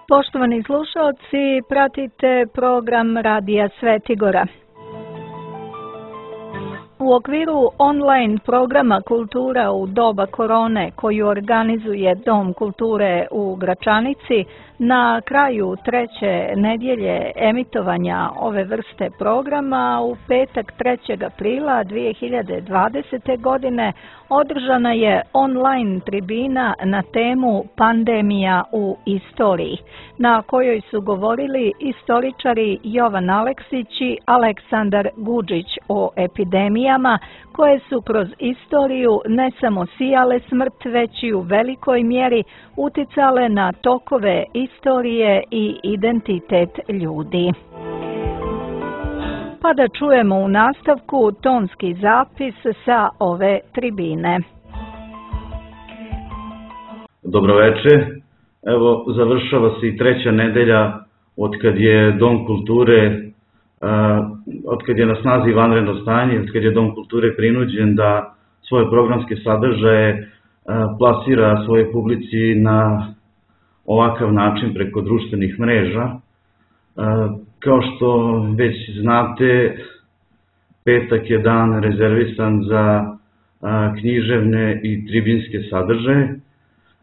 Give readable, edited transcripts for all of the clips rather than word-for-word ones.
Poštovani slušalci, pratite program Radija Svetigora. U okviru online programa Kultura u doba korone koju organizuje Dom kulture u Gračanici, na kraju treće nedjelje emitovanja ove vrste programa u petak 3. aprila 2020. godine održana je online tribina na temu Pandemija u istoriji, na kojoj su govorili istoričari Jovan Aleksić i Aleksandar Guđić o epidemijama koje su kroz istoriju ne samo sijale smrt, već i u velikoj mjeri uticale na tokove istorije i identitet ljudi. Pa da čujemo u nastavku tonski zapis sa ove tribine. Dobroveče. Evo, završava se i treća nedelja od kad je Dom kulture, od kad je na snazi vanredno stanje, od kad je Dom kulture prinuđen da svoje programske sadržaje plasira svoje publici na ovakav način preko društvenih mreža. Kao što već znate, petak je dan rezervisan za književne i tribinske sadržaje.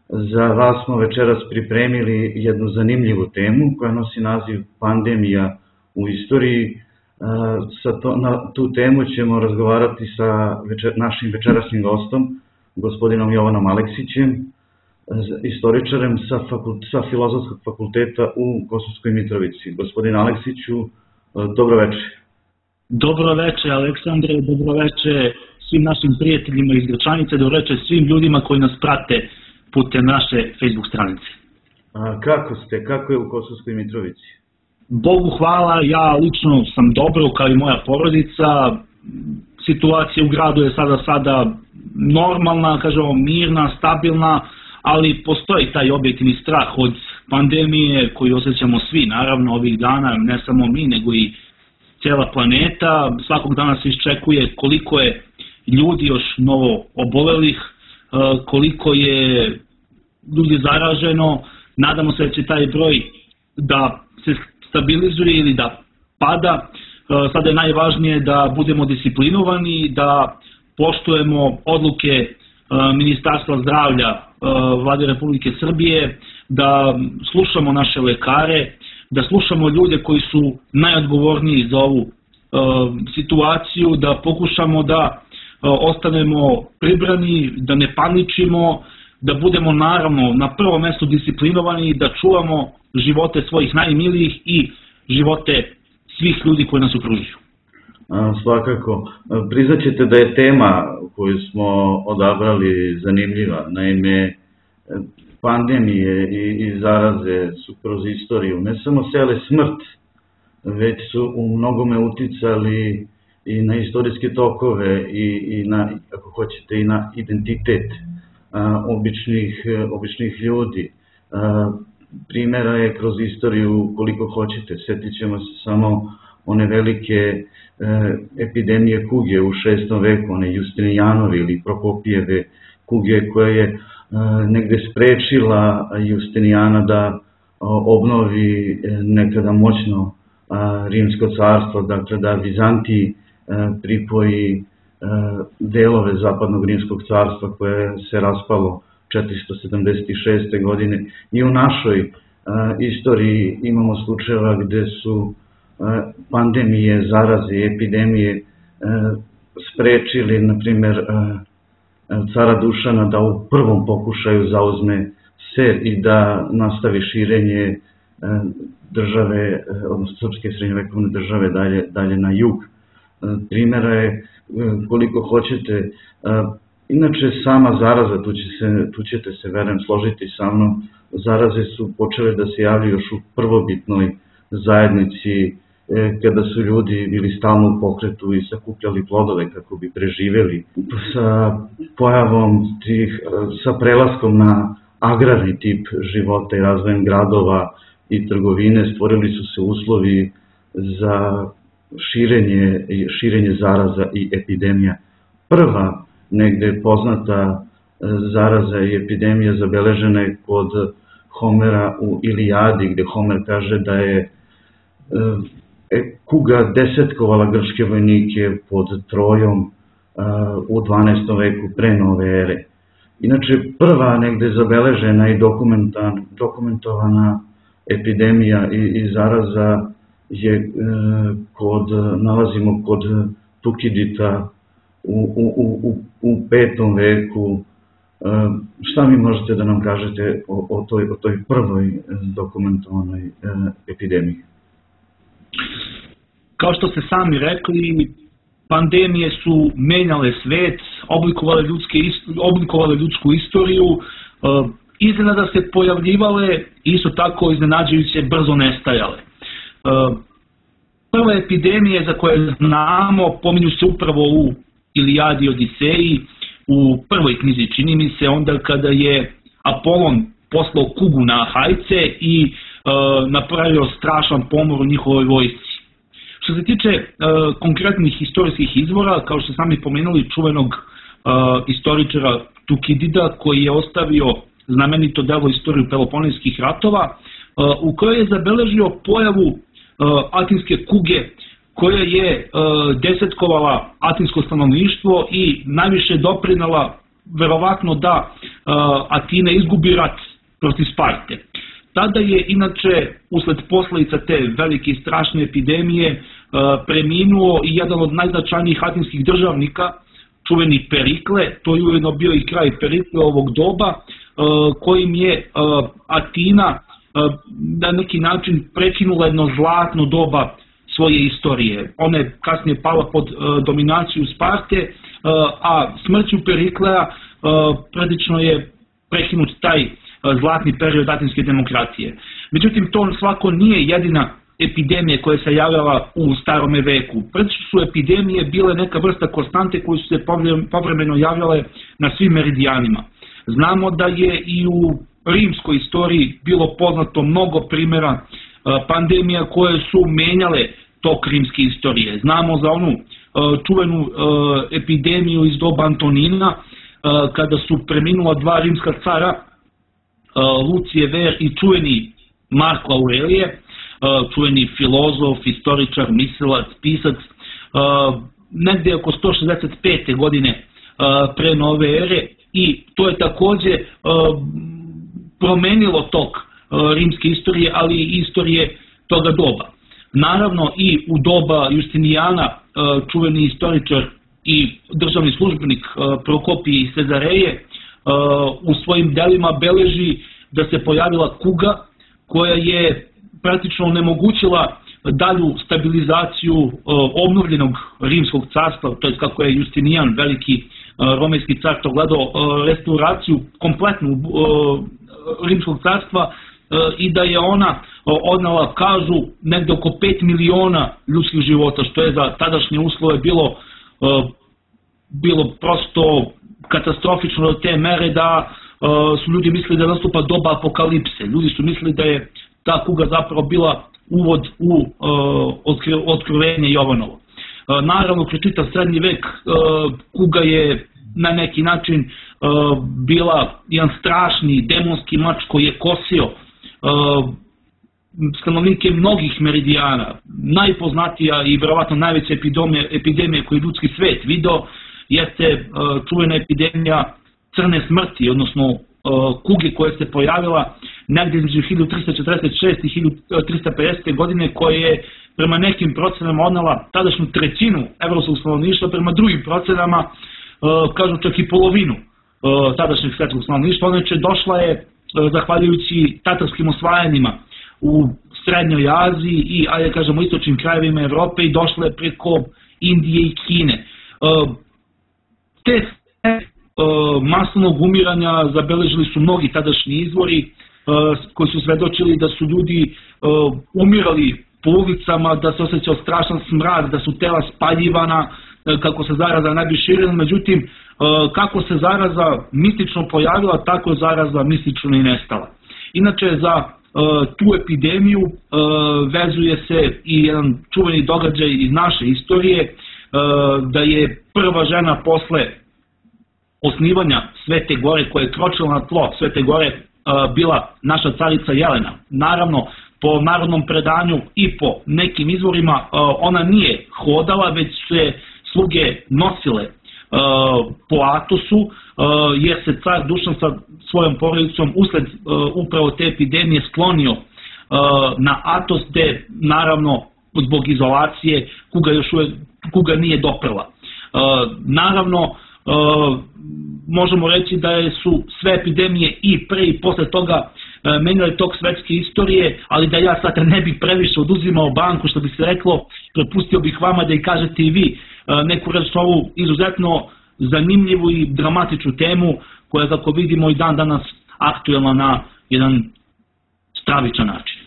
Za vas smo večeras pripremili jednu zanimljivu temu koja nosi naziv Pandemija u istoriji. Na tu temu ćemo razgovarati sa našim večerasnim gostom, gospodinom Jovanom Aleksićem, istoričarem sa Filozofskog fakulteta u Kosovskoj Mitrovici. Gospodin Aleksiću, dobroveče. Dobroveče, Aleksandre, dobroveče svim našim prijateljima iz Gračanice, dobroveče svim ljudima koji nas prate putem naše Facebook stranice. Kako ste? Kako je u Kosovskoj Mitrovici? Bogu hvala, ja lično sam dobro, kao i moja porodica. Situacija u gradu je sada normalna, kažemo mirna, stabilna, ali postoji taj objektivni strah od pandemije koji osjećamo svi, naravno ovih dana, ne samo mi, nego i cijela planeta. Svakog dana se iščekuje koliko je ljudi još novo obolelih, koliko je ljudi zaraženo. Nadamo se da će taj broj da se stabilizuje ili da pada. Sada je najvažnije da budemo disciplinovani, da poštujemo odluke Ministarstva zdravlja Vlade Republike Srbije, da slušamo naše lekare, da slušamo ljude koji su najodgovorniji za ovu situaciju, da pokušamo da ostanemo pribrani, da ne paničimo, da budemo naravno na prvom mjestu disciplinovani, da čuvamo živote svojih najmilijih i živote svih ljudi koji nas okružuju. Svakako. Priznaćete da je tema koju smo odabrali zanimljiva. Naime, pandemije i zaraze su kroz istoriju ne samo sejale smrt, već su u mnogome uticali i na istorijske tokove i na, ako hoćete, i na identitet običnih ljudi. Primjera je kroz istoriju koliko hoćete. Sjetit ćemo se samo one velike epidemije kuge u 6. veku, one Justinijanove ili Prokopijeve kuge koja je negde sprečila Justinijana da obnovi nekada moćno Rimsko carstvo, dakle da Vizantiji pripoji delove zapadnog Rimskog carstva koje se raspalo 476. godine. I u našoj istoriji imamo slučajeva gde su pandemije, zaraze i epidemije sprečili, na primjer, cara Dušana da u prvom pokušaju zauzme Ser i da nastavi širenje države, odnosno srpske srednjovekovne države dalje na jug. Primjera je koliko hoćete. Inače, sama zaraza, tu ćete se, verujem, složiti sa mnom, zaraze su počele da se javljaju još u prvobitnoj zajednici, kada su ljudi bili stalno u pokretu i sakupljali plodove kako bi preživjeli. Sa pojavom sa prelaskom na agrarni tip života i razvojem gradova i trgovine stvorili su se uslovi za širenje zaraza i epidemija. Prva negde poznata zaraza i epidemija zabeležena je kod Homera u Ilijadi, gde Homer kaže da je kuga desetkovala grčke vojnike pod Trojom u 12. veku pre nove ere. Inače, prva negde zabeležena i dokumentovana epidemija i zaraza je nalazimo kod Tukidida u 5. veku. Šta mi možete da nam kažete o toj prvoj dokumentovanoj epidemiji? Kao što ste sami rekli, pandemije su menjale svet, oblikovale ljudsku istoriju, iznenada se pojavljivale, isto tako iznenađujuće brzo nestajale. Prve epidemije za koje znamo pominju se upravo u Ilijadi i Odiseji, u prvoj knjizi, čini mi se, onda kada je Apolon poslao kugu na Ahajce i napravio strašan pomor u njihovoj vojsci. Što se tiče konkretnih istorijskih izvora, kao što sami pomenuli, čuvenog istoričara Tukidida, koji je ostavio znamenito delo Istoriju Peloponeskih ratova, u kojoj je zabeležio pojavu atinske kuge, koja je desetkovala atinsko stanovništvo i najviše doprinela verovatno da Atina izgubi rat protiv Sparte. Tada je inače usled posledica te velike i strašne epidemije preminuo i jedan od najznačajnijih atinskih državnika, čuveni Perikle. To je ujedno bio i kraj Perikle ovog doba, kojim je Atina na neki način prekinula jedno zlatno doba svoje istorije. Ona je kasnije pala pod dominaciju Sparte, a smrću Periklea praktično je prekinut taj zlatni period atinske demokratije. Međutim, to svako nije jedina epidemija koja se javljala u starome veku. Praktično su epidemije bile neka vrsta konstante koje su se povremeno javljale na svim meridijanima. Znamo da je i u rimskoj istoriji bilo poznato mnogo primjera pandemija koje su menjale tok rimske istorije. Znamo za onu čuvenu epidemiju iz doba Antonina, kada su preminula dva rimska cara, Lucije Ver i čuveni Marko Aurelije, čuveni filozof, istoričar, mislilac, pisac, negde oko 165. godine pre nove ere, i to je takođe promenilo tok rimske istorije, ali i istorije toga doba. Naravno i u doba Justinijana, čuveni istoričar i državni službenik Prokopije iz Cezareje u svojim delima beleži da se pojavila kuga koja je praktično onemogućila dalju stabilizaciju obnovljenog rimskog carstva, to je kako je Justinijan, veliki romejski car, to gledao restauraciju kompletnu rimskog carstva, i da je ona odnala, kažu, negde oko 5 miliona ljudskih života, što je za tadašnje uslove bilo prosto katastrofično do te mere da su ljudi mislili da nastupa doba apokalipse. Ljudi su mislili da je ta kuga zapravo bila uvod u otkrivenje Jovanovo. Naravno, kroz čitav srednji vek kuga je na neki način bila jedan strašni demonski mač koji je kosio stanovnike mnogih meridijana. Najpoznatija i verovatno najveća epidemija koju je ljudski svet video jeste čuvena epidemija crne smrti, odnosno kuge koja se pojavila negdje između 1346. i 1350. godine, koja je prema nekim procenama odnela tadašnju trećinu evropskog stanovništva, prema drugim procenama kažu čak i polovinu tadašnjeg svetskog stanovništva. Inače došla je zahvaljujući tatarskim osvajanjima u Srednjoj Aziji i, ajde kažemo, istočnim krajevima Evrope, i došla je preko Indije i Kine. Te masovnog umiranja zabeležili su mnogi tadašnji izvori koji su svedočili da su ljudi umirali po ulicama, da se osjećao strašan smrad, da su tela spaljivana, kako se zaraza ne bi širila. Međutim, kako se zaraza mistično pojavila, tako je zaraza mistično i nestala. Inače, za tu epidemiju vezuje se i jedan čuveni događaj iz naše istorije, da je prva žena posle osnivanja Svete Gore, koja je kročila na tlo Svete Gore bila naša carica Jelena. Naravno, po narodnom predanju i po nekim izvorima ona nije hodala, već su je sluge nosile po Atosu, jer se car Dušan sa svojom porodicom usled upravo te epidemije sklonio na Atos, gde naravno zbog izolacije kuga nije doprla. Naravno, možemo reći da su sve epidemije i pre i posle toga menjale tok svetske istorije, ali da ja sad ne bih previše oduzimao banku, što bi se reklo, prepustio bih vama da i kažete i vi neku reč ovu izuzetno zanimljivu i dramatičnu temu koja je, kako vidimo, i dan danas aktuelna na jedan stravičan način.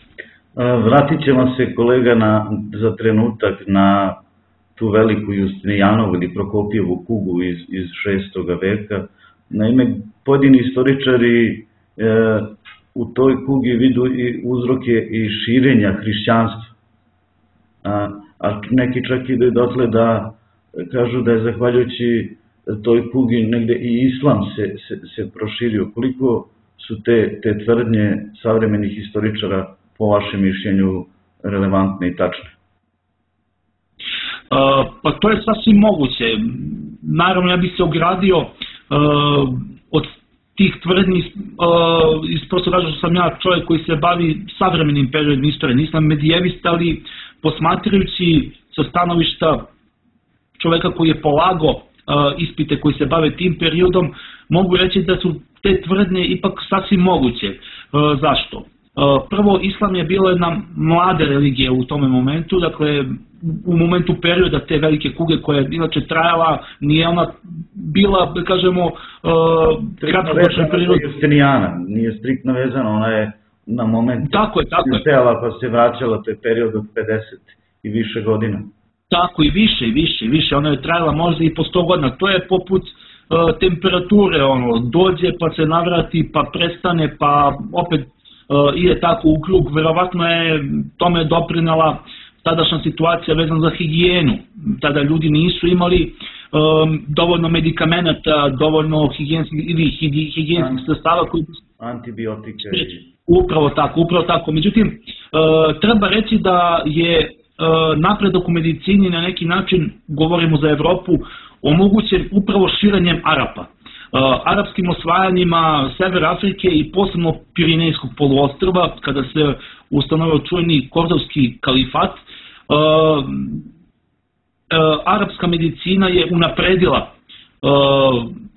Vratit ćemo se, kolega, za trenutak na tu veliku Justinijanovu ili Prokopijevu kugu iz 6. veka. Naime, pojedini istoričari u toj kugi vidu i uzroke i širenja hrišćanstva. A neki čak ide dotle da kažu da je zahvaljujući toj kugi negde i islam se proširio. Koliko su te tvrdnje savremenih istoričara po vašem mišljenju relevantne i tačne? Pa to je sasvim moguće. Naravno, ja bih se ogradio od tih tvrdnji iz prostog razloga što sam ja čovjek koji se bavi savremenim periodom istorije. Nisam medijevist, ali posmatrajući sa stanovišta čovjeka koji je polagao ispite koji se bave tim periodom, mogu reći da su te tvrdnje ipak sasvim moguće. Zašto? Prvo, islam je bila jedna mlada religija u tome momentu, dakle u momentu perioda te velike kuge koja je inače trajala, nije ona bila, da kažemo, kratkoročna period. Nije striktno vezana, ona je na moment stajala pa se vraćala, to je period od 50 i više godina. Tako, i više, ona je trajala možda i po 100 godina, to je poput temperature, dođe pa se navrati pa prestane pa opet ide tako u krug. Verovatno je tome doprinela tadašnja situacija vezana za higijenu. Tada ljudi nisu imali dovoljno medikamenata, dovoljno higijenskih sredstava koji... Antibiotike. Upravo tako. Međutim, treba reći da je napredak u medicini na neki način, govorimo za Evropu, omogućen upravo širenjem Arapa. Arapskim osvajanjima Severa Afrike i posebno Pirinejskog poluostrva, kada se ustanovio čuveni Kordovski kalifat, arapska medicina je unapredila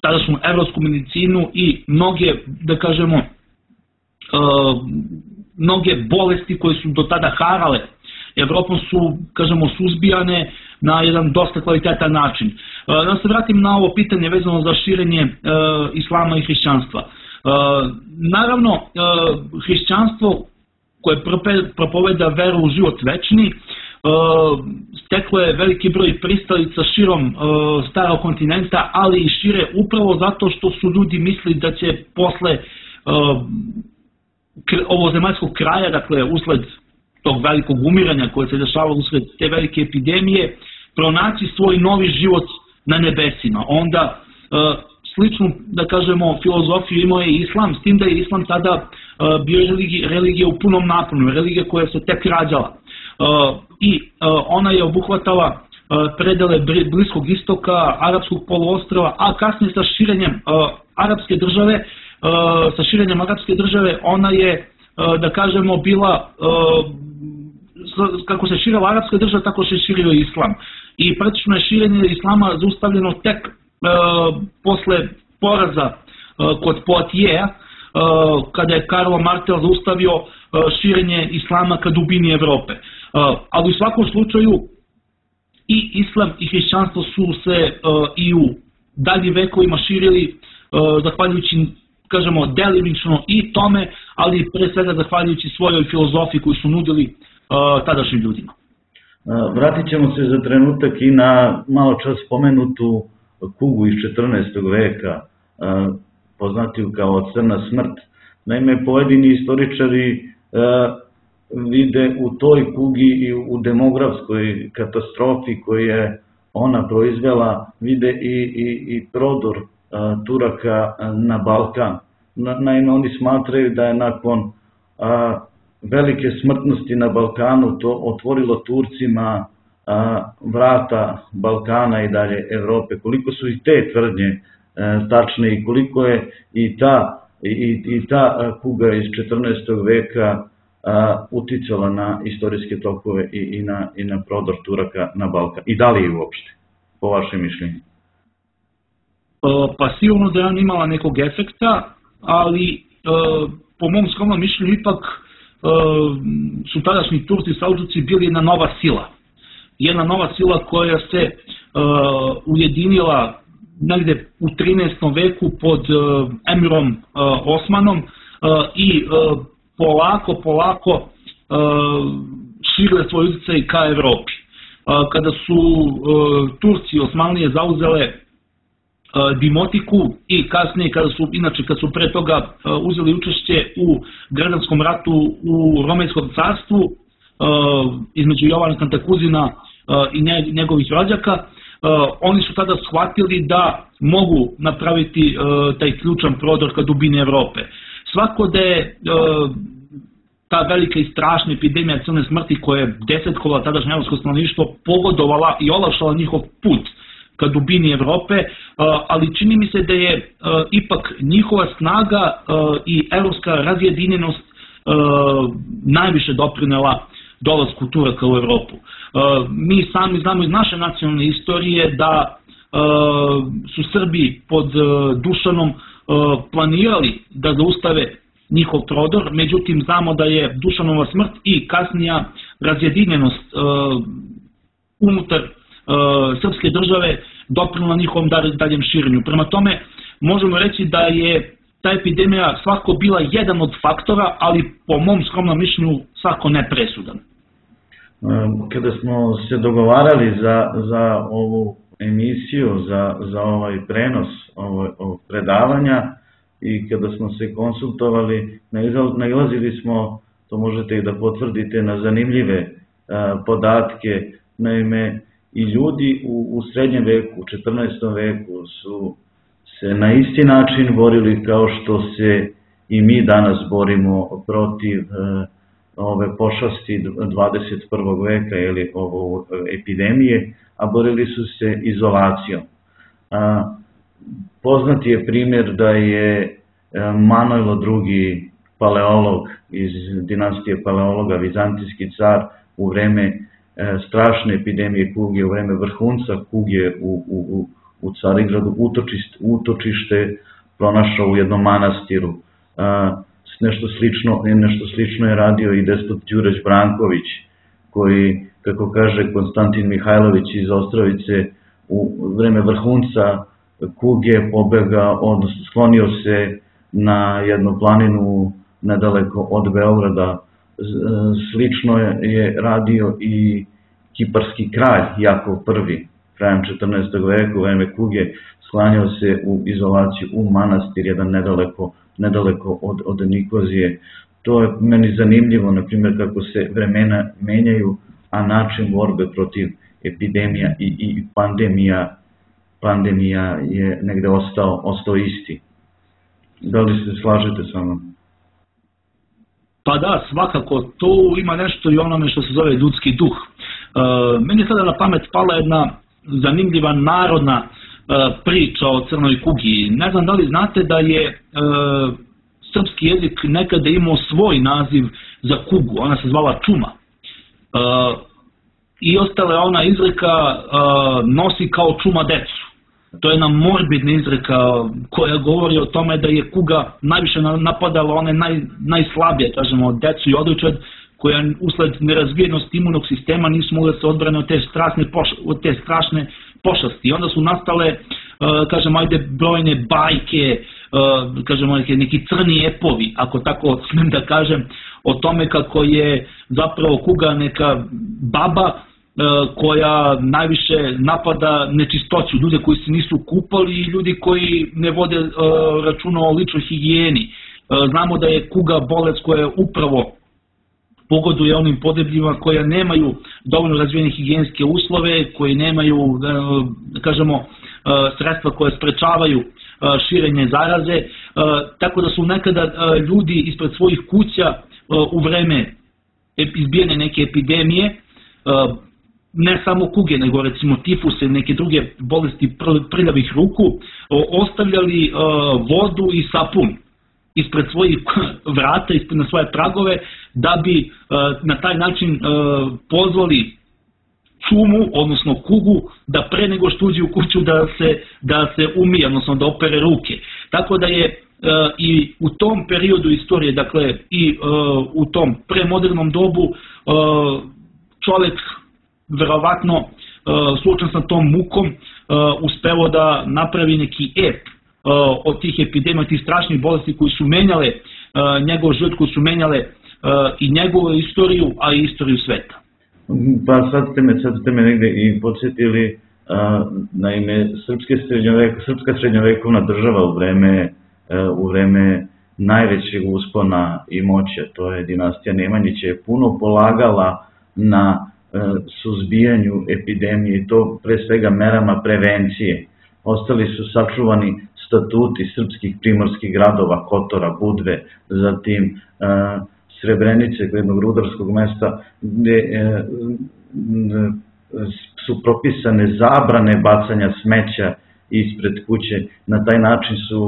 tadašnju evropsku medicinu i mnoge, da kažemo, mnoge bolesti koje su do tada harale Evropom su, kažemo, suzbijane na jedan dosta kvalitetan način. Da se vratim na ovo pitanje vezano za širenje islama i hrišćanstva. Naravno, hrišćanstvo koje propoveda veru u život večni, steklo je veliki broj pristalica širom starog kontinenta, ali i šire upravo zato što su ljudi mislili da će posle ovozemaljskog kraja, dakle usled tog velikog umiranja koje se dešavalo usled te velike epidemije, pronaći svoj novi život na nebesima. Onda sličnu, da kažemo, filozofiju imao je islam, s tim da je islam tada bio religija u punom naponu, religija koja se tek rađala. I ona je obuhvatala predele Bliskog istoka, Arapskog poluostrva, a kasnije sa širenjem Arapske države, ona je, da kažemo, bila, kako se širila Arapska država, tako se širio islam. I praktično je širenje islama zaustavljeno tek posle poraza kod Poitiers, kada je Karlo Martel zaustavio širenje islama ka dubini Evrope. Ali u svakom slučaju i islam i hrišćanstvo su se i u daljim vekovima širili zahvaljujući, kažemo, delimično i tome, ali pre svega zahvaljujući svojoj filozofiji koju su nudili tadašnjim ljudima. Vratit ćemo se za trenutak i na malo čas spomenutu kugu iz 14. veka, poznatiju kao crna smrt. Naime, pojedini istoričari vide u toj kugi i u demografskoj katastrofi koju je ona proizvela, vide i prodor Turaka na Balkan. naime oni smatraju da je nakon velike smrtnosti na Balkanu to otvorilo Turcima vrata Balkana i dalje Evrope. Koliko su i te tvrdnje tačne i koliko je i ta kuga iz 14. veka uticala na istorijske tokove i na prodor Turaka na Balkan. I da li je uopšte, po vašem mišljenju? Pa sigurno da je ona imala nekog efekta, ali po mom skromnom mišljenju ipak su tadašnji Turci Selđuci bili jedna nova sila. Jedna nova sila koja se ujedinila negde u 13. veku pod emirom Osmanom i polako širile svoj utjecaj ka Evropi. Kada su Turci Osmanlije zauzele Dimotiku i kasnije kad su pre toga uzeli učešće u građanskom ratu u Romejskom carstvu između Jovana Kantakuzina i njegovih rođaka, oni su tada shvatili da mogu napraviti taj ključan prodor ka dubini Evrope. Svako da je ta velika i strašna epidemija crne smrti koja je desetkovala tadašnje evropsko stanovništvo pogodovala i olakšala njihov put ka dubini Evrope, ali čini mi se da je ipak njihova snaga i evropska razjedinjenost najviše doprinela dolasku Turaka u Evropu. Mi sami znamo iz naše nacionalne istorije da su Srbi pod Dušanom planirali da zaustave njihov prodor, međutim znamo da je Dušanova smrt i kasnija razjedinjenost unutar srpske države doprinela njihovom daljem širenju. Prema tome, možemo reći da je ta epidemija svako bila jedan od faktora, ali po mom skromnom mišljenju svako nepresudan. Kada smo se dogovarali za ovu emisiju, za ovaj prenos ovog predavanja i kada smo se konsultovali, nailazili smo, to možete i da potvrdite, na zanimljive podatke. Naime, i ljudi u srednjem veku, u 14. veku su se na isti način borili kao što se i mi danas borimo protiv ove pošasti 21. veka ili ove epidemije, a borili su se izolacijom. Poznati je primjer da je Manojlo II. Paleolog iz dinastije Paleologa, vizantijski car, u vreme strašne epidemije kuge, u vreme vrhunca kuge u Carigradu utočište pronašao u jednom manastiru. Nešto slično je radio i despot Đurđ Branković, koji, kako kaže Konstantin Mihajlović iz Ostrovice, u vreme vrhunca kuge pobegao, odnosno sklonio se na jednu planinu nedaleko od Beograda. Slično je radio i kiparski kralj Jakov I, krajem 14. veka, u vreme kuge, sklanjao se u izolaciju u manastir, jedan nedaleko od Nikozije. To je meni zanimljivo, na primjer, kako se vremena menjaju, a način borbe protiv epidemija i pandemija je negde ostao isti. Da li se slažete sa mnom? Pa da, svakako, to ima nešto i onome što se zove ljudski duh. Meni je sada na pamet pala jedna zanimljiva narodna priča o crnoj kugi. Ne znam da li znate da je srpski jezik nekada imao svoj naziv za kugu, ona se zvala čuma. I ostala je ona izreka nosi kao čuma decu. To je jedna morbidna izreka koja govori o tome da je kuga najviše napadala one najslabije, kažemo, decu i odojčad, koja usled nerazvijenosti imunog sistema nisu mogli da se odbrane od te strašne pošasti. I onda su nastale, kažemo, brojne bajke, kažemo, neki crni epovi, ako tako smem da kažem, o tome kako je zapravo kuga neka baba koja najviše napada nečistoću, ljude koji se nisu kupali i ljudi koji ne vode računa o ličnoj higijeni. Znamo da je kuga bolest koja upravo pogoduje onim podebljima koja nemaju dovoljno razvijene higijenske uslove, koji nemaju, kažemo, sredstva koje sprečavaju širenje zaraze, tako da su nekada ljudi ispred svojih kuća u vreme izbijanja neke epidemije, ne samo kuge, nego recimo tifuse, neke druge bolesti prljavih ruku, ostavljali vodu i sapun ispred svojih vrata, na svoje pragove, da bi na taj način pozvali čumu, odnosno kugu, da pre nego što uđe u kuću da se umije, odnosno da opere ruke. Tako da je i u tom periodu istorije, dakle i u tom premodernom dobu, čovjek verovatno suočen sa tom mukom uspeo da napravi neki ep od tih epidemija, tih strašnih bolesti koji su menjale njegov život, koji su menjale i njegovu istoriju, a i istoriju sveta. Pa sad ste me negde i podsjetili, naime, srpska srednjovekovna država u vreme najvećeg uspona i moće, to je dinastija Nemanjića, je puno polagala na suzbijanju epidemije i to pre svega merama prevencije. Ostali su sačuvani statuti srpskih primorskih gradova, Kotora, Budve, zatim Srebrenice, jednog rudarskog mesta, gde su propisane zabrane bacanja smeća ispred kuće. Na taj način su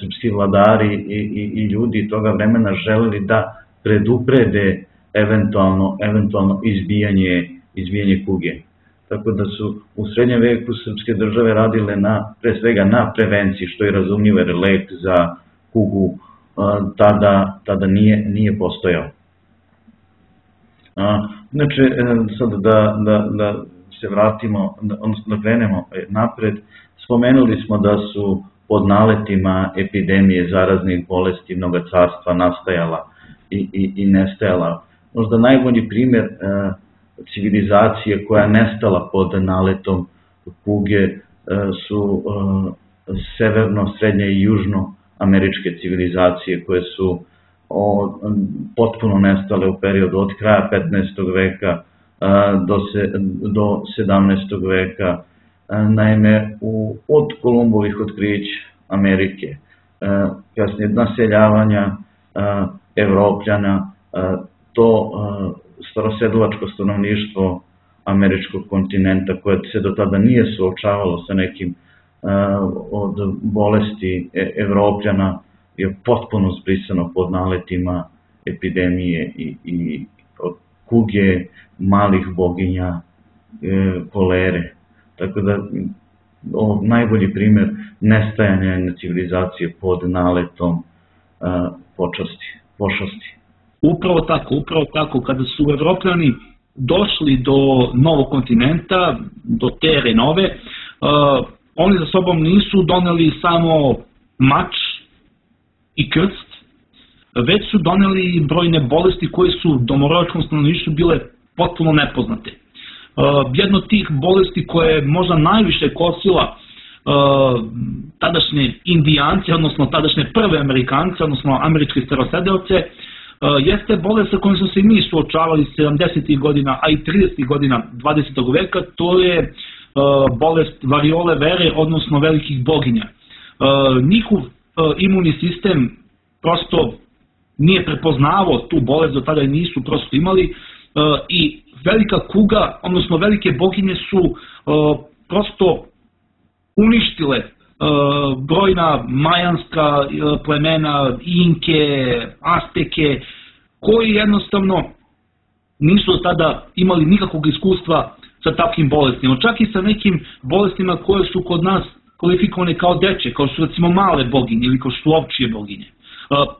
srpski vladari i ljudi toga vremena želeli da preduprede eventualno izbijanje kuge. Tako da su u srednjem veku srpske države radile pre svega na prevenciji, što je razumljivo jer lek za kugu tada nije postojao. Znači, sad da se vratimo, odnosno da krenemo napred, spomenuli smo da su pod naletima epidemije zaraznih bolesti mnoga carstva nastajala i nestajala. Možda najbolji primjer civilizacije koja je nestala pod naletom kuge su severno, srednje i južno američke civilizacije koje su potpuno nestale u periodu od kraja 15. veka do 17. veka. Naime, od Kolumbovih otkrića Amerike, kasnije naseljavanja Evropljana, to starosedlačko stanovništvo američkog kontinenta koje se do tada nije suočavalo sa nekim od bolesti Evropljana je potpuno zbrisano pod naletima epidemije i od kuge, malih boginja, kolere. Tako da ovo najbolji primjer nestajanja jedne civilizacije pod naletom pošasti. Upravo tako, kada su Evropljani došli do novog kontinenta, do Tere Nove, oni za sobom nisu doneli samo mač i krst, već su doneli brojne bolesti koje su domorodačkom stanovništvu bile potpuno nepoznate. Jedna od tih bolesti koja je možda najviše kosila tadašnje Indijance, odnosno tadašnje prve Amerikance, odnosno američke starosedeoce, jeste bolest sa kojom smo se i mi suočavali 70. godina, a i 30. godina 20. veka, to je bolest variole vere, odnosno velikih boginja. Njihov imunni sistem prosto nije prepoznavao tu bolest, do tada nisu prosto imali i velika kuga, odnosno velike boginje su prosto uništile brojna majanska plemena, Inke, Azteke, koji jednostavno nisu tada imali nikakvog iskustva sa takvim bolestima. Čak i sa nekim bolestima koje su kod nas kvalifikovane kao deče, kao su recimo male boginje ili kao su ovčije boginje.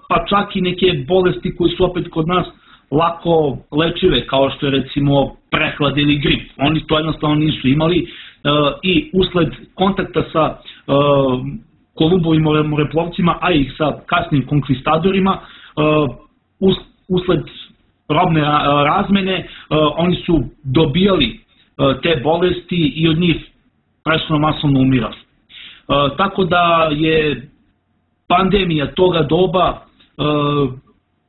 Pa čak i neke bolesti koje su opet kod nas lako lečive, kao što je recimo prehlad ili grip. Oni to jednostavno nisu imali i usled kontakta sa Kolumbovim moreplovcima, a i sa kasnim konkvistadorima, usled robne razmene, oni su dobijali te bolesti i od njih presudno masovno umirali. Tako da je pandemija toga doba,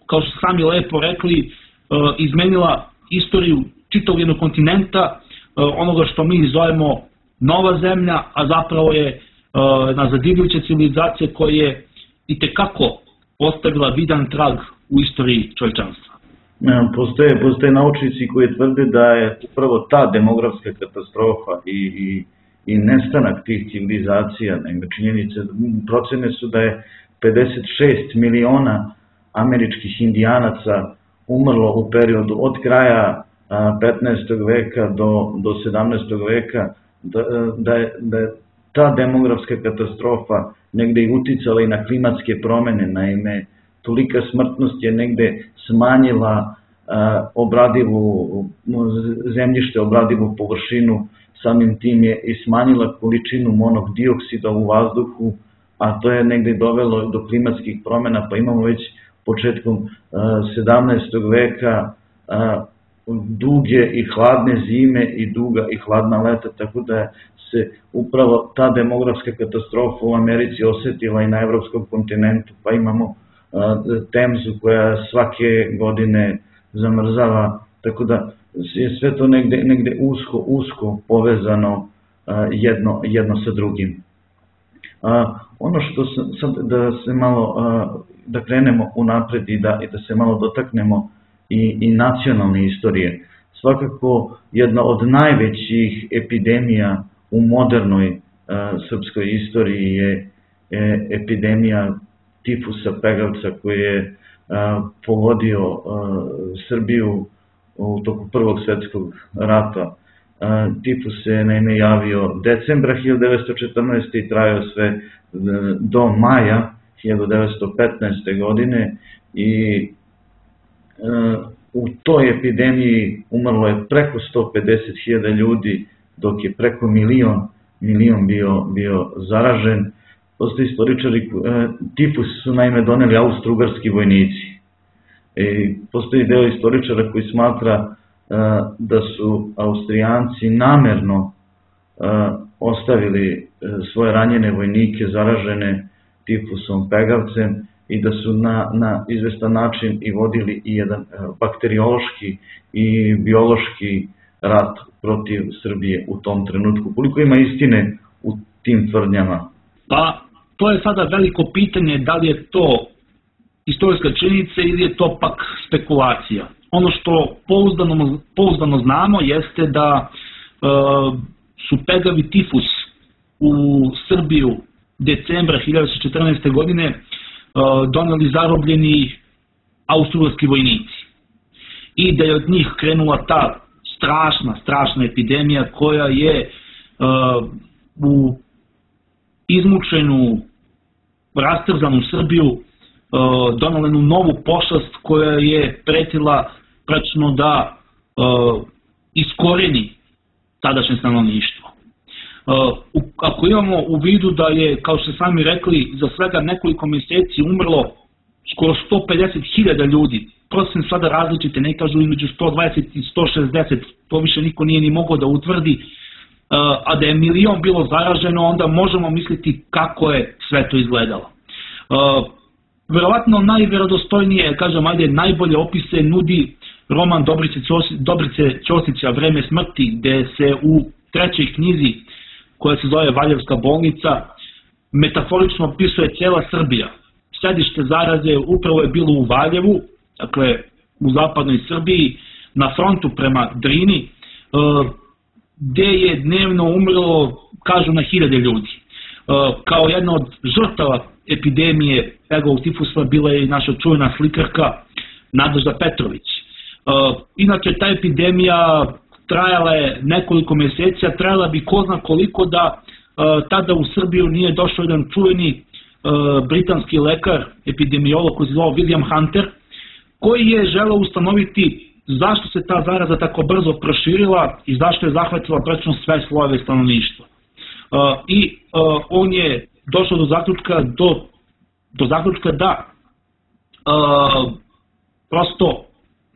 kao što sami lepo rekli, izmenila istoriju čitavog jednog kontinenta, onoga što mi zovemo nova zemlja, a zapravo je jedna zadivljuća civilizacija koja je itekako ostavila vidan trag u istoriji čovječanstva. Postoje naučnici koji tvrde da je upravo ta demografska katastrofa i nestanak tih civilizacija, činjenice, procene su da je 56 miliona američkih indijanaca umrlo u periodu od kraja 15. veka do 17. veka, da je ta demografska katastrofa negde i uticala i na klimatske promene. Naime, tolika smrtnost je negde smanjila zemljište, obradivu površinu, samim tim je i smanjila količinu monokdioksida u vazduhu, a to je negde dovelo do klimatskih promena, pa imamo već početkom 17. veka duge i hladne zime i duga i hladna leta, tako da se upravo ta demografska katastrofa u Americi osetila i na evropskom kontinentu, pa imamo Temzu koja svake godine zamrzava, tako da je sve to negde usko povezano jedno sa drugim. Ono što sad da krenemo unapred i da se malo dotaknemo i nacionalne istorije. Svakako jedna od najvećih epidemija u modernoj srpskoj istoriji je epidemija tifusa pegavca koji je pogodio Srbiju u toku Prvog svetskog rata. Tifus se naime javio decembra 1914. i trajao sve do maja 1915. godine i u toj epidemiji umrlo je preko 150.000 ljudi, dok je preko milion bio zaražen. Postoje istoričari, tifus su naime doneli austro-ugarski vojnici. Postoji deo istoričara koji smatra da su Austrijanci namerno ostavili svoje ranjene vojnike zaražene tifusom pegavcem i da su na izvestan način i vodili i jedan bakteriološki i biološki rat protiv Srbije u tom trenutku. Koliko ima istine u tim tvrdnjama? Pa, to je sada veliko pitanje da li je to istorijska činjenica ili je to pak spekulacija. Ono što pouzdano znamo jeste da su pegavi tifus u Srbiju decembra 1914. godine doneli zarobljeni austro-ugarski vojnici i da je od njih krenula ta strašna epidemija koja je u izmučenu, rastrzanu Srbiju donela jednu novu pošast koja je pretila praktično da iskoreni tadašnje stanovništvo. Ako imamo u vidu da je, kao što sami rekli, za svega nekoliko mjeseci umrlo skoro 150.000 ljudi, procene sada različite, ne kažu između 120 i 160, to više niko nije ni mogao da utvrdi, a da je milion bilo zaraženo, onda možemo misliti kako je sve to izgledalo. Verovatno najverodostojnije, najbolje opise nudi roman Dobrice Ćosića Vreme smrti, gde se u trećoj knjizi, koja se zove Valjevska bolnica, metaforično opisuje cijela Srbija. Sedište zaraze upravo je bilo u Valjevu, dakle u zapadnoj Srbiji, na frontu prema Drini, gde je dnevno umrlo, kažu, na 1000 ljudi. Kao jedna od žrtava epidemije pegovog tifusa bila je i naša čuvena slikarka Nadežda Petrović. Inače, ta epidemija trajala je nekoliko mjeseci, a trajala bi ko zna koliko da tada u Srbiju nije došao jedan čuveni britanski lekar, epidemiolog koji se zvao William Hunter, koji je želeo ustanoviti zašto se ta zaraza tako brzo proširila i zašto je zahvatila praktično sve slojeve stanovništva. I on je došao do zaključka da prosto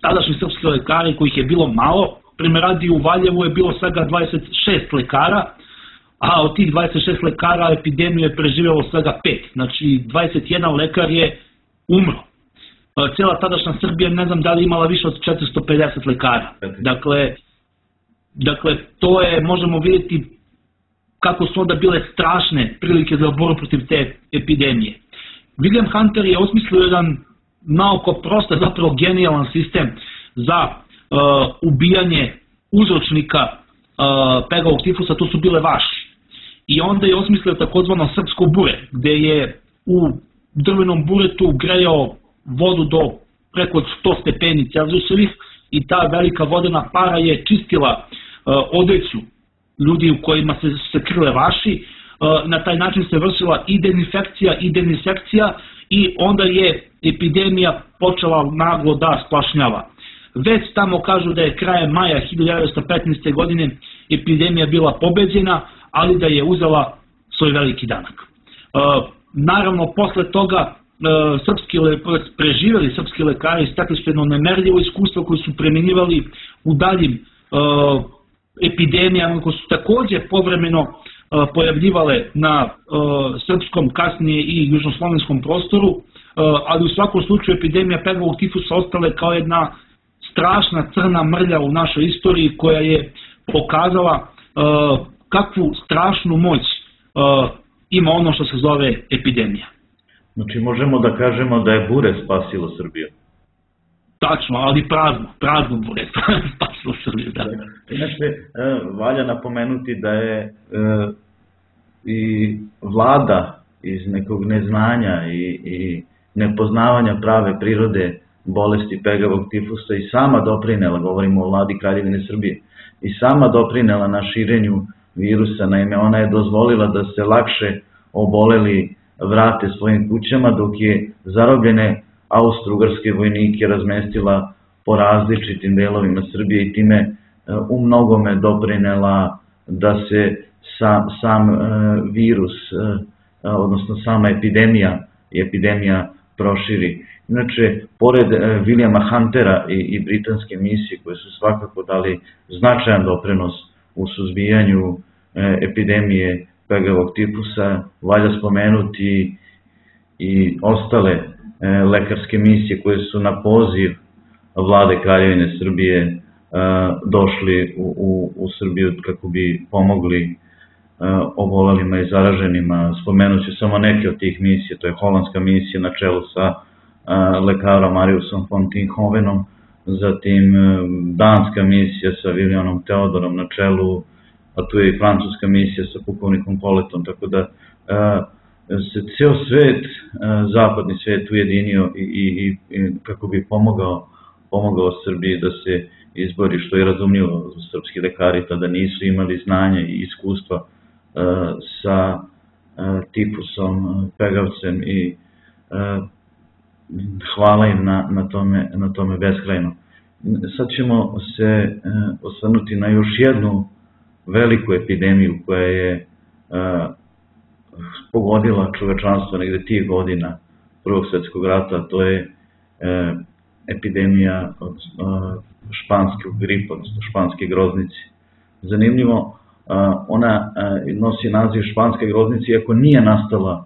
tadašnji srpski lekari, kojih je bilo malo, primjer radi u Valjevu je bilo svega 26 lekara, a od tih 26 lekara epidemiju je preživjelo svega 5, znači 21 lekar je umro. Cijela tadašnja Srbija, ne znam da li imala više od 450 lekara. Dakle, to je, možemo vidjeti, kako su onda bile strašne prilike za borbu protiv te epidemije. William Hunter je osmislio jedan naoko prost, zapravo genijalan sistem za ubijanje uzročnika pegavog tifusa, to su bile vaši. I onda je osmislio takozvano srpsko bure, gde je u drvenom buretu grejao vodu do preko 100 stepeni Celzijusovih i ta velika vodena para je čistila odeću ljudi u kojima se krle vaši. Na taj način se vršila i dezinfekcija i dezinsekcija i onda je epidemija počela naglo da splašnjava. Već tamo kažu da je krajem maja 1915. godine epidemija bila pobeđena, ali da je uzela svoj veliki danak. Naravno, posle toga preživjeli srpski lekari stekli su jedno nemerljivo iskustvo koje su primenjivali u daljim epidemijama koje su takođe povremeno pojavljivale na srpskom, kasnije i južnoslovenskom prostoru, ali u svakom slučaju epidemija pegavog tifusa ostale kao jedna strašna crna mrlja u našoj istoriji koja je pokazala kakvu strašnu moć ima ono što se zove epidemija. Znači možemo da kažemo da je bure spasilo Srbiju. Tačno, ali prazno bure spasilo Srbiju. Da. Inače, valja napomenuti da je i vlada iz nekog neznanja i nepoznavanja prave prirode bolesti pegavog tifusa i sama doprinela, govorimo o vladi Kraljevine Srbije, i sama doprinela na širenju virusa. Naime, ona je dozvolila da se lakše oboleli vrate svojim kućama, dok je zarobljene austro-ugarske vojnike razmestila po različitim delovima Srbije i time u mnogome doprinela da se sam virus, odnosno sama epidemija proširi. Inače, pored Williama Huntera i britanske misije koje su svakako dali značajan doprinos u suzbijanju epidemije pegavog tifusa, valja spomenuti i ostale lekarske misije koje su na poziv vlade Kraljevine Srbije došli u Srbiju kako bi pomogli obolelima i zaraženima. Spomenut ću samo neke od tih misija, to je holandska misija na čelu sa lekarom Mariusom von Tienhovenom, zatim danska misija sa Williamom Theodorom na čelu, a tu je i francuska misija sa pukovnikom Poletom, tako da se ceo svet, zapadni svet ujedinio i kako bi pomogao Srbiji da se izbori, što je razumljivo. Srpski lekari tada nisu imali znanja i iskustva sa tifusom, pegavcem i hvala im na tome beskrajno. Sad ćemo se osvrnuti na još jednu veliku epidemiju koja je pogodila čovečanstvo negde tih godina Prvog svjetskog rata, to je epidemija španskog gripa, odnosno španske groznice. Zanimljivo, ona nosi naziv španske groznice, iako nije nastala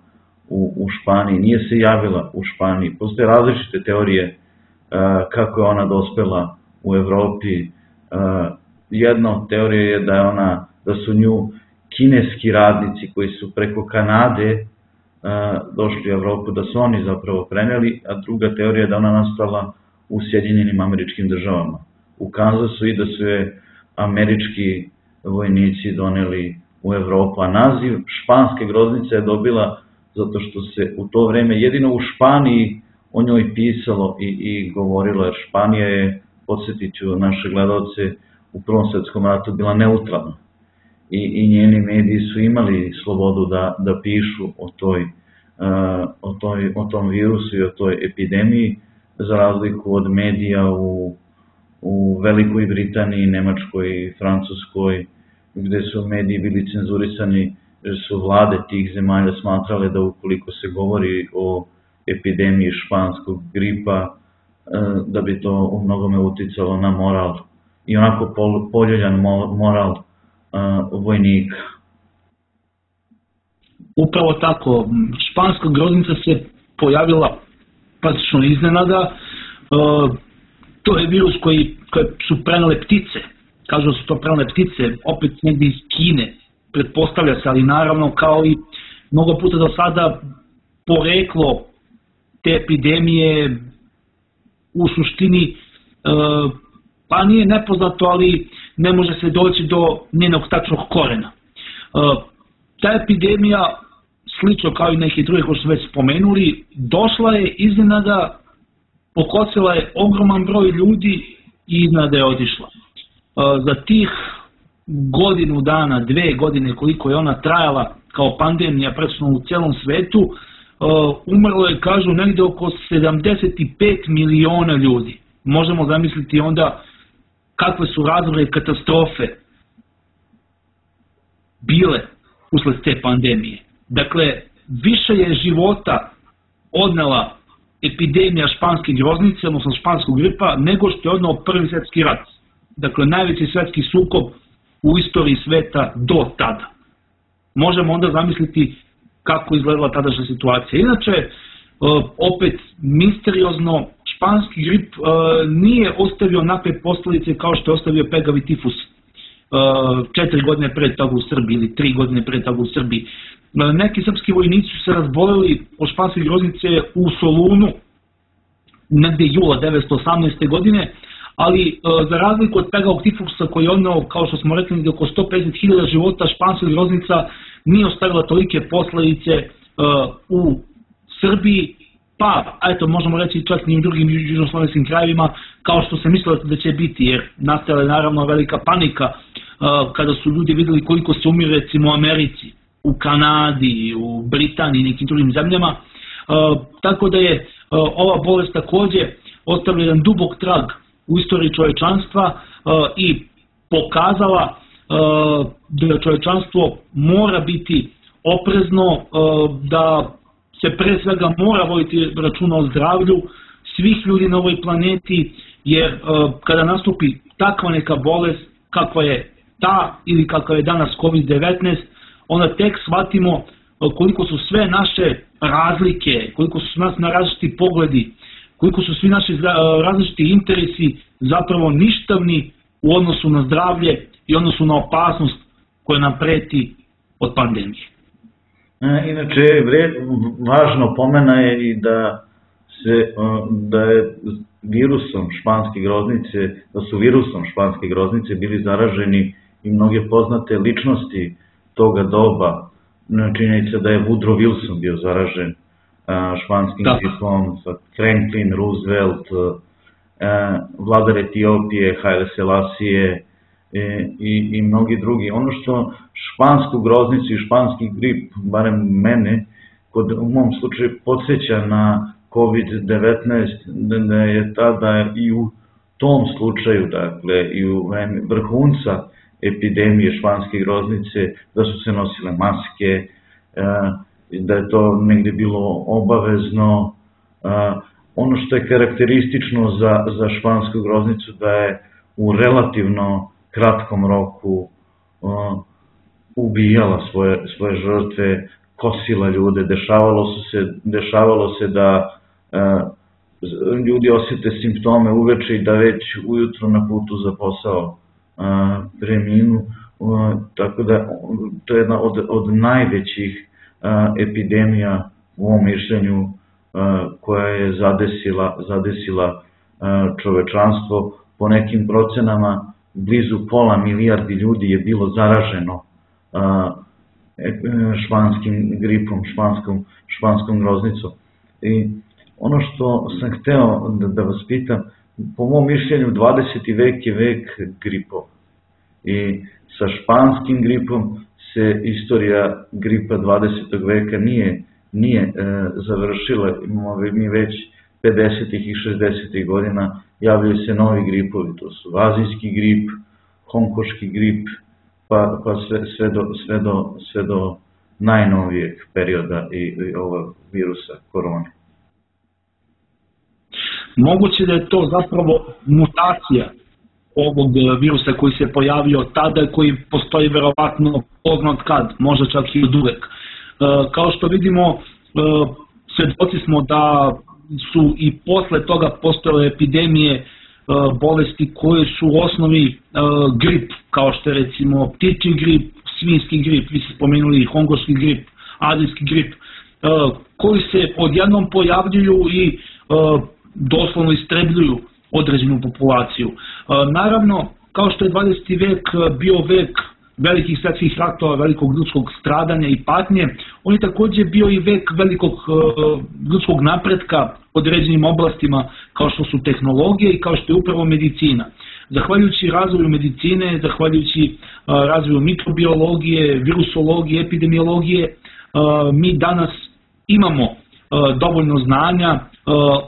u Španiji, nije se javila u Španiji. Postoje različite teorije kako je ona dospela u Evropi. Jedna od teorija je da su nju kineski radnici koji su preko Kanade došli u Evropu, da su oni zapravo preneli, a druga teorija je da ona nastala u Sjedinjenim Američkim Državama, u Kansasu, i da su je američki vojnici doneli u Evropu. A naziv španske groznice je dobila zato što se u to vreme jedino u Španiji o njoj pisalo i govorilo, jer Španija je, podsjetit ću naše gledalce, u Prvom svjetskom ratu bila neutralna i njeni mediji su imali slobodu da pišu o tom virusu i o toj epidemiji, za razliku od medija u Velikoj Britaniji, Nemačkoj, Francuskoj, gde su mediji bili cenzurisani, jer su vlade tih zemalja smatrale da ukoliko se govori o epidemiji španskog gripa, da bi to u mnogome uticalo na moral i onako poljuljan moral vojnika. Upravo tako, španska groznica se pojavila praktično iznenada. To je virus koje su prenele ptice, kažu da su to prenele ptice, opet negdje iz Kine, pretpostavlja se, ali naravno kao i mnogo puta do sada poreklo te epidemije u suštini pa nije nepoznato, ali ne može se doći do njenog tačnog korena. Ta epidemija, slično kao i neki drugi koji su već spomenuli, došla je iznenada, pokosila je ogroman broj ljudi i iznenada je otišla. Za tih godinu dana, 2 godine koliko je ona trajala kao pandemija praktično u celom svetu, umrlo je, kažu, negde oko 75 miliona ljudi. Možemo zamisliti onda kakve su razore i katastrofe bile usled te pandemije. Dakle, više je života odnela epidemija španske groznice, odnosno španskog gripa, nego što je odneo Prvi svjetski rat. Dakle, najveći svjetski sukob u istoriji sveta do tada. Možemo onda zamisliti kako izgledala tadašnja situacija. Inače, opet misteriozno, španski grip nije ostavio onakve posljedice kao što je ostavio pegavi tifus 4 godine pre toga u Srbiji ili 3 godine pre toga u Srbiji. Neki srpski vojnici su se razboleli od španske groznice u Solunu negde jula 1918. godine, ali za razliku od pegavog tifusa koji je odneo, kao što smo rekli, oko 150.000 života, španska groznica nije ostavila tolike posljedice u Srbiji, pa eto možemo reći čak i u drugim južnoslovenskim krajevima kao što se mislilo da će biti, jer nastala je naravno velika panika kada su ljudi vidjeli koliko se umire recimo u Americi, u Kanadi, u Britaniji i nekim drugim zemljama, tako da je ova bolest također ostavila jedan dubok trag u istoriji čovječanstva i pokazala da čovječanstvo mora biti oprezno, da se pre svega mora voditi računa o zdravlju svih ljudi na ovoj planeti, jer kada nastupi takva neka bolest kakva je ta ili kakva je danas COVID-19, onda tek shvatimo koliko su sve naše razlike, koliko su nas na različiti pogledi, koliko su svi naši različiti interesi zapravo ništavni u odnosu na zdravlje i odnosu na opasnost koja nam preti od pandemije. Inače, važno pomena je i da je virusom španske groznice, da su virusom španske groznice bili zaraženi i mnoge poznate ličnosti toga doba. Činjenica da je Woodrow Wilson bio zaražen španskim gripom, Franklin Roosevelt, vladar Etiopije, Haile Selassie i mnogi drugi. Ono što špansku groznicu i španski grip, barem mene, u mom slučaju podsjeća na COVID-19, da je tada i u tom slučaju, dakle, i u vrhunca epidemije španske groznice, da su se nosile maske, da je to negde bilo obavezno. Ono što je karakteristično za špansku groznicu da je u relativno kratkom roku ubijala svoje žrtve, kosila ljude, dešavalo se da ljudi osjete simptome uveče i da već ujutro na putu za posao preminu, tako da to je jedna od najvećih epidemija u ovom mišljenju koja je zadesila čovečanstvo. Po nekim procenama blizu 500 milijardi ljudi je bilo zaraženo španskim gripom, španskom groznicom. I ono što sam hteo da vas pitam, po mom mišljenju 20. vek je vek gripova. I sa španskim gripom se istorija gripa 20. veka nije završila. Imamo mi već 50. i 60. godina javljaju se novi gripovi, to su azijski grip, hongkoški grip, pa sve do najnovijeg perioda i ovog virusa korone. Moguće da je to zapravo mutacija ovog virusa koji se pojavio tada, koji postoji verovatno poznat kad, možda čak i od uvek. Kao što vidimo, svedoci smo da su i posle toga postojale epidemije bolesti koje su u osnovi grip, kao što je recimo ptičji grip, svinjski grip, vi ste spomenuli hongolski grip, azijski grip, koji se odjednom pojavljuju i doslovno istrebljuju određenu populaciju. Naravno, kao što je 20. vek bio vek velikih svetskih ratova, velikog ljudskog stradanja i patnje, on je također bio i vek velikog ljudskog napretka u određenim oblastima kao što su tehnologije i kao što je upravo medicina. Zahvaljujući razvoju medicine, zahvaljujući razvoju mikrobiologije, virusologije, epidemiologije, mi danas imamo dovoljno znanja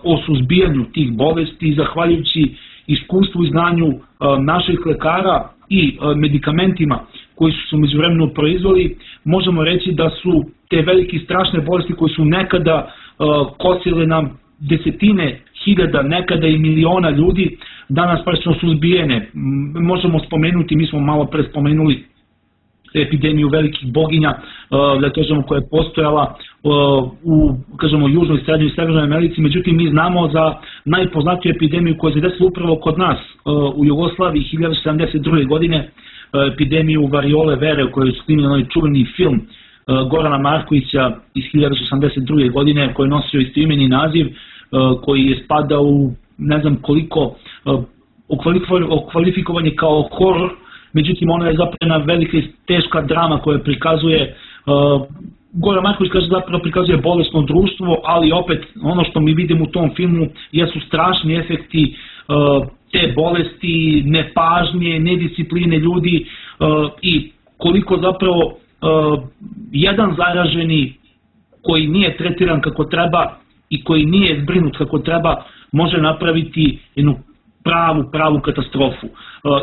o suzbijanju tih bolesti, zahvaljujući iskustvu i znanju naših lekara i medikamentima koji su se u međuvremenu proizveli, možemo reći da su te velike strašne bolesti koje su nekada kosile nam desetine hiljada, nekada i miliona ljudi, danas praktično suzbijene. Možemo spomenuti, mi smo malo pre spomenuli epidemiju velikih boginja, da kažemo, koja je postojala u, kažemo, južnoj, srednjoj i severnoj Americi, međutim mi znamo za najpoznatiju epidemiju koja se desila upravo kod nas u Jugoslaviji 1972. godine, epidemiju variole vere u kojoj je snimljen onaj čuveni film Gorana Markovića iz 1982. godine koji je nosio istoimeni naziv, koji je spadao u ne znam koliko okvalifikovan je kao horor, međutim ona je zapravo jedna velika i teška drama koja prikazuje, Goran Marković kaže zapravo prikazuje bolesno društvo, ali opet ono što mi vidimo u tom filmu jesu strašni efekti te bolesti, nepažnje, nediscipline ljudi i koliko zapravo jedan zaraženi koji nije tretiran kako treba i koji nije zbrinut kako treba može napraviti jednu pravu katastrofu.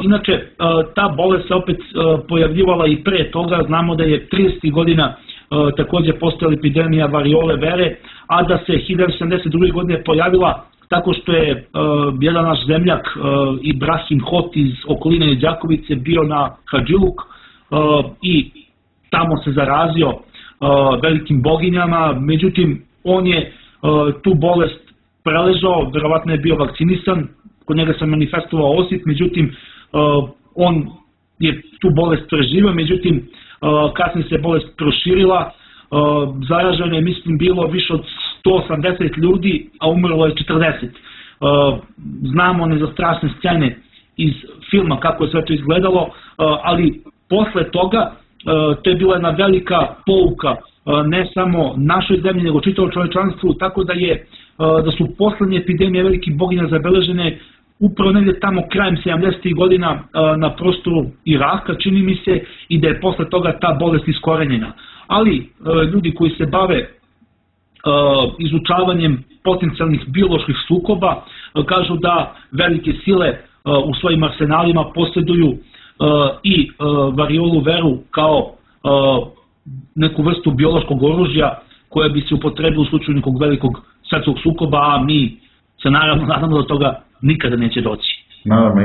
Inače, ta bolest se opet pojavljivala i pre toga, znamo da je 30. godina također postojala epidemija variole vere, a da se 1972. godine pojavila tako što je jedan naš zemljak Ibrahim Hot iz okoline Đakovice bio na Hadžiluk i tamo se zarazio velikim boginjama, međutim on je tu bolest preležao, verovatno je bio vakcinisan, kod njega se manifestovao osip, međutim on je tu bolest preživio, međutim kasnije se bolest proširila, zaraženo je mislim bilo više od 180 ljudi, a umrlo je 40. Znamo one za strašne scene iz filma kako je sve to izgledalo, ali posle toga to je bila jedna velika pouka ne samo našoj zemlji nego čitavom čovečanstvu, tako da su poslednje epidemije velikih boginja zabeležene upravo negdje tamo krajem 70. godina na prostoru Iraka, čini mi se, i da je posle toga ta bolest iskorenjena. Ali ljudi koji se bave izučavanjem potencijalnih bioloških sukoba kažu da velike sile u svojim arsenalima posjeduju i variolu veru kao neku vrstu biološkog oružja koje bi se upotrebilo u slučaju nekog velikog svetskog sukoba, a mi se naravno nadamo da toga nikada neće doći. Naravno,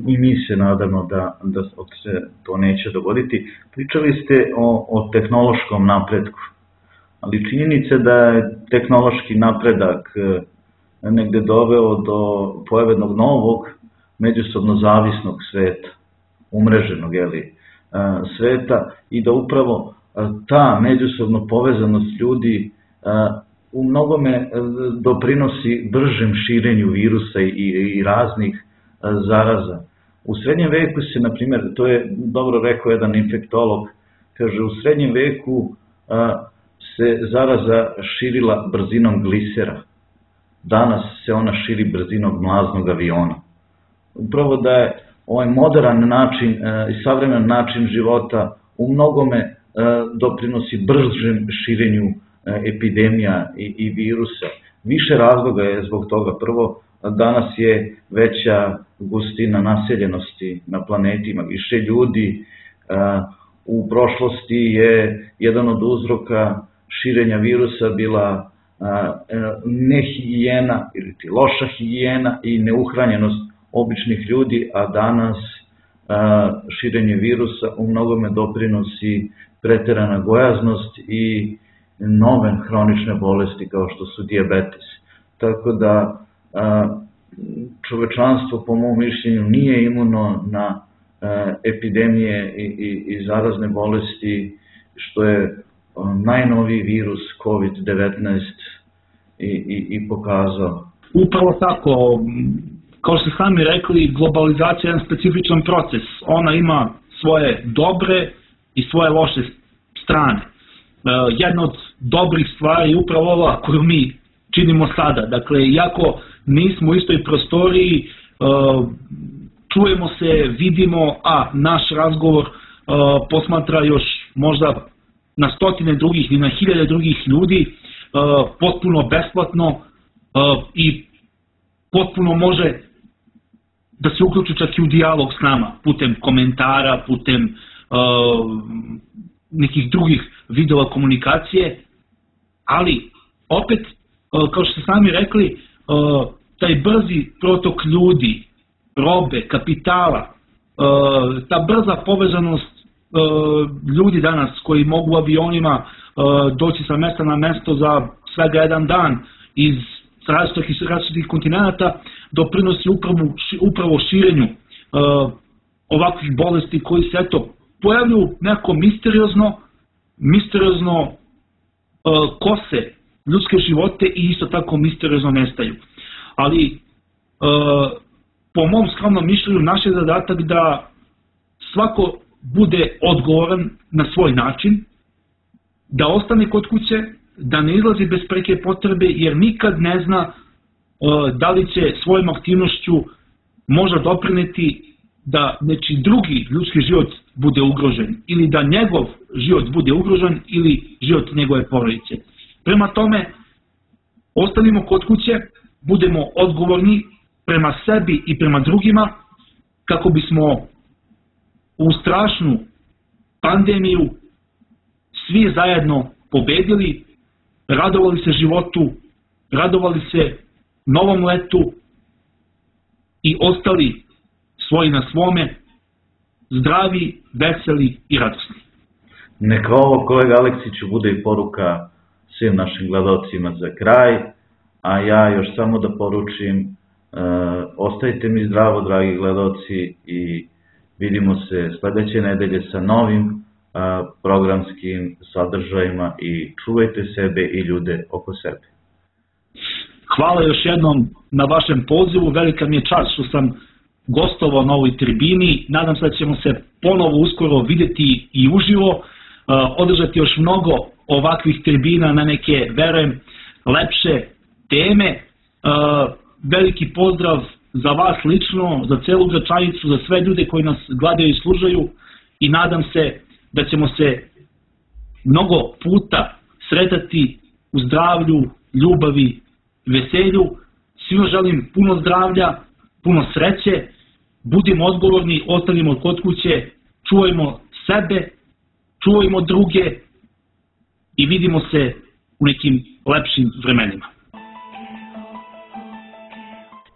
i mi se nadamo da se to neće dogoditi. Pričali ste o tehnološkom napretku, ali činjenica da je tehnološki napredak negde doveo do pojavednog novog međusobno zavisnog sveta, umreženog sveta, i da upravo ta međusobno povezanost ljudi u mnogome doprinosi bržem širenju virusa i raznih zaraza. U srednjem veku se, na primjer, to je dobro rekao jedan infektolog, kaže, u srednjem veku se zaraza širila brzinom glisera. Danas se ona širi brzinom mlaznog aviona. Upravo da je ovaj modern način i savremen način života u mnogome doprinosi bržem širenju epidemija i virusa. Više razloga je zbog toga. Prvo, danas je veća gustina naseljenosti na planetima, više ljudi. U prošlosti je jedan od uzroka širenja virusa bila nehigijena ili loša higijena i neuhranjenost običnih ljudi, a danas širenje virusa u mnogome doprinosi preterana gojaznost i nove hronične bolesti kao što su dijabetes. Tako da čovečanstvo, po mom mišljenju, nije imuno na epidemije i zarazne bolesti, što je najnoviji virus COVID-19 i pokazao. Upravo tako, kao što sami rekli, globalizacija je jedan specifičan proces. Ona ima svoje dobre i svoje loše strane. Jedna od dobrih stvari je upravo ova koju mi činimo sada. Dakle, iako nismo u istoj prostoriji, čujemo se, vidimo, a naš razgovor posmatra još možda na stotine drugih i na hiljade drugih ljudi, potpuno besplatno i potpuno može da se uključi čak i u dijalog s nama, putem komentara, putem nekih drugih vidova komunikacije, ali opet, kao što ste sami rekli, taj brzi protok ljudi, robe, kapitala, ta brza povezanost ljudi danas koji mogu avionima doći sa mesta na mesto za svega jedan dan iz različitih kontinenta, doprinosi upravo širenju ovakvih bolesti koji se pojavljuju nekako misteriozno kose ljudske živote i isto tako misteriozno nestaju. Ali po mom skromnom mišljenju naš je zadatak da svako bude odgovoran na svoj način, da ostane kod kuće, da ne izlazi bez preke potrebe, jer nikad ne zna da li će svojom aktivnošću možda doprineti da nečiji drugi ljudski život bude ugrožen, ili da njegov život bude ugrožen, ili život njegove porodice. Prema tome, ostanimo kod kuće, budemo odgovorni prema sebi i prema drugima, kako bismo u strašnu pandemiju svi zajedno pobedili, radovali se životu, radovali se novom letu i ostali svoji na svome, zdravi, veseli i radosni. Neka ovo, kolega Aleksiću, bude i poruka svim našim gledalcima za kraj, a ja još samo da poručim, ostajte mi zdravo, dragi gledalci, i vidimo se sledeće nedelje sa novim programskim sadržajima i čuvajte sebe i ljude oko sebe. Hvala još jednom na vašem pozivu, velika mi je čast što sam gostovao na ovoj tribini, nadam se da ćemo se ponovo uskoro videti i uživo, održati još mnogo ovakvih tribina na neke, verujem, lepše teme. Veliki pozdrav za vas lično, za celu Gračanicu, za sve ljude koji nas gledaju i slušaju, i nadam se da ćemo se mnogo puta sretati u zdravlju, ljubavi, veselju. Svima želim puno zdravlja, puno sreće, budimo odgovorni, ostanimo kod kuće, čuvajmo sebe, čuvajmo druge i vidimo se u nekim lepšim vremenima.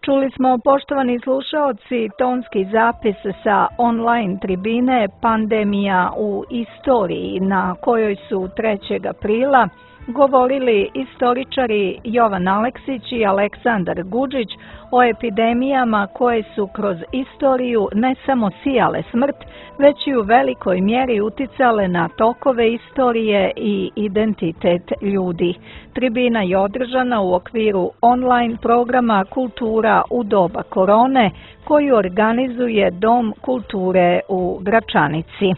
Čuli smo, poštovani slušaoci, tonski zapis sa online tribine Pandemija u istoriji, na kojoj su 3. aprila govorili istoričari Jovan Aleksić i Aleksandar Gudžić o epidemijama koje su kroz istoriju ne samo sijale smrt, već i u velikoj mjeri uticale na tokove istorije i identitet ljudi. Tribina je održana u okviru online programa Kultura u doba korone, koju organizuje Dom kulture u Gračanici.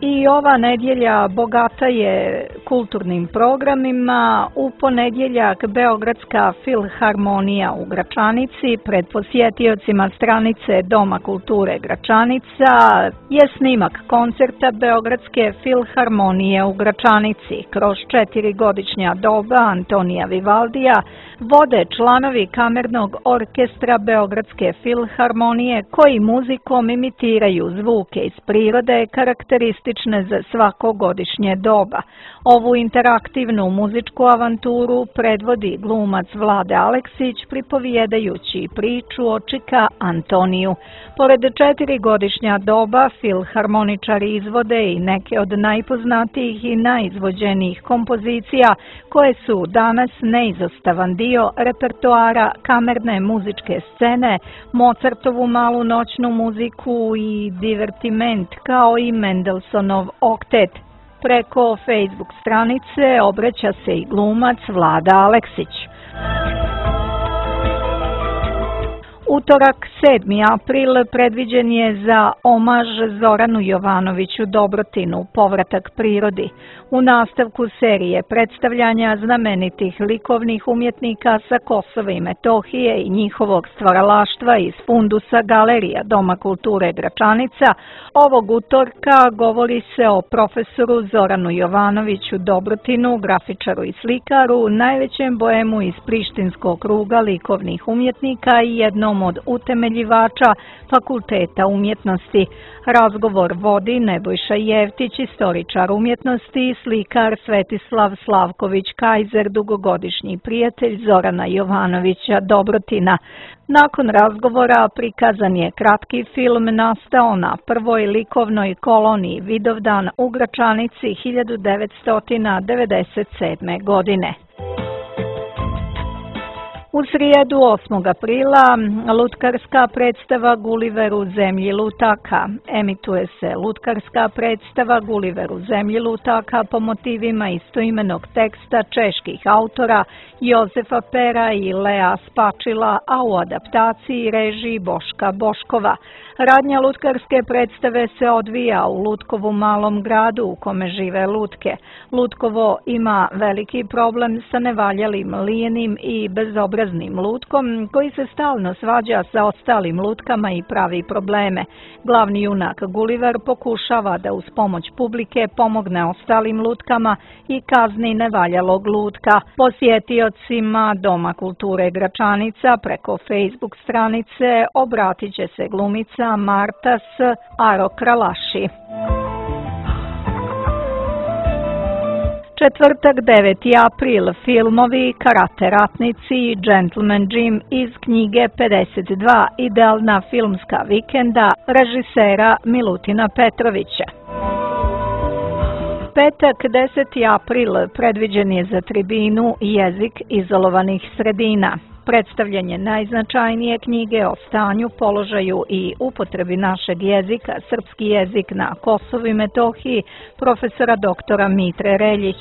I ova nedjelja bogata je kulturnim programima. U ponedjeljak Beogradska filharmonija u Gračanici pred posjetiocima stranice Doma kulture Gračanica je snimak koncerta Beogradske filharmonije u Gračanici. Kroz 4-godišnja doba Antonija Vivaldija vode članovi kamernog orkestra Beogradske filharmonije koji muzikom imitiraju zvuke iz prirode karakteristične za svako godišnje doba. Ovu interaktivnu muzičku avanturu predvodi glumac Vlade Aleksić pripovijedajući priču o čika Antoniju. Pored 4-godišnja doba, filharmoničari izvode i neke od najpoznatijih i najizvođenijih kompozicija koje su danas neizostavan dio repertoara kamerne muzičke scene, Mozartovu malu noćnu muziku i divertiment kao i Mendelssohnov oktet. Preko Facebook stranice obraća se i glumac Vlada Aleksić. Utorak, 7. april, predviđen je za omaž Zoranu Jovanoviću Dobrotinu, povratak prirodi. U nastavku serije predstavljanja znamenitih likovnih umjetnika sa Kosova i Metohije i njihovog stvaralaštva iz fundusa Galerija Doma kulture Gračanica, ovog utorka govori se o profesoru Zoranu Jovanoviću Dobrotinu, grafičaru i slikaru, najvećem boemu iz Prištinskog kruga likovnih umjetnika i jednom od utemeljivača Fakulteta umjetnosti. Razgovor vodi Nebojša Jevtić, istoričar umjetnosti, i slikar Svetislav Slavković-Kajzer, dugogodišnji prijatelj Zorana Jovanovića Dobrotina. Nakon razgovora prikazan je kratki film nastao na prvoj likovnoj koloniji Vidovdan u Gračanici 1997. godine. U srijedu 8. aprila lutkarska predstava Guliver u zemlji lutaka. Emituje se lutkarska predstava Guliver u zemlji lutaka po motivima istoimenog teksta čeških autora Jozefa Pera i Lea Spačila, a u adaptaciji režiji Boška Boškova. Radnja lutkarske predstave se odvija u Lutkovu malom gradu u kome žive lutke. Lutkovo ima veliki problem sa nevaljalim, lijenim i bezobraznim lutkom koji se stalno svađa sa ostalim lutkama i pravi probleme. Glavni junak Guliver pokušava da uz pomoć publike pomogne ostalim lutkama i kazni nevaljalog lutka. Posjetiocima Doma kulture Gračanica preko Facebook stranice obratit će se glumica Marta S. Aro-Kralaši. Četvrtak, 9. april, filmovi Karate ratnici i Gentleman Jim iz knjige 52 idealna filmska vikenda režisera Milutina Petrovića. Petak, 10. april, predviđen je za tribinu Jezik izolovanih sredina. Predstavljanje najznačajnije knjige o stanju, položaju i upotrebi našeg jezika, srpski jezik na Kosovu i Metohiji, profesora doktora Mitre Reljić.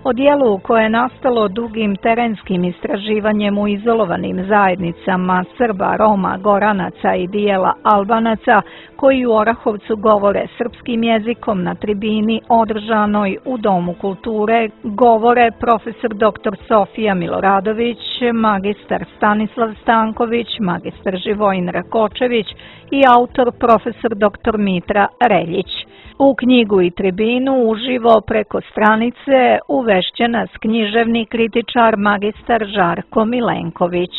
O dijelu koje je nastalo dugim terenskim istraživanjem u izolovanim zajednicama Srba, Roma, Goranaca i dijela Albanaca koji u Orahovcu govore srpskim jezikom na tribini održanoj u Domu kulture govore profesor dr. Sofija Miloradović, magistar Stanislav Stanković, magistar Živojin Rakočević i autor profesor dr. Mitra Reljić. U knjigu i tribinu uživo preko stranice uvešće nas književni kritičar magistar Žarko Milenković.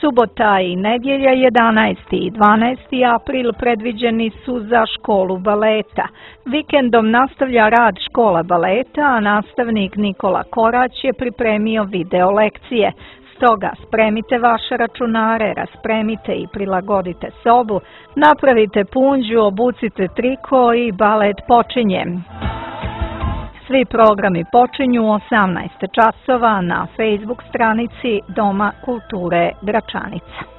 Subota i nedjelja 11. i 12. april predviđeni su za školu baleta. Vikendom nastavlja rad škola baleta, a nastavnik Nikola Korać je pripremio video lekcije. Stoga spremite vaše računare, raspremite i prilagodite sobu, napravite punđu, obucite triko i balet počinje. Svi programi počinju u 18 časova na Facebook stranici Doma kulture Gračanica.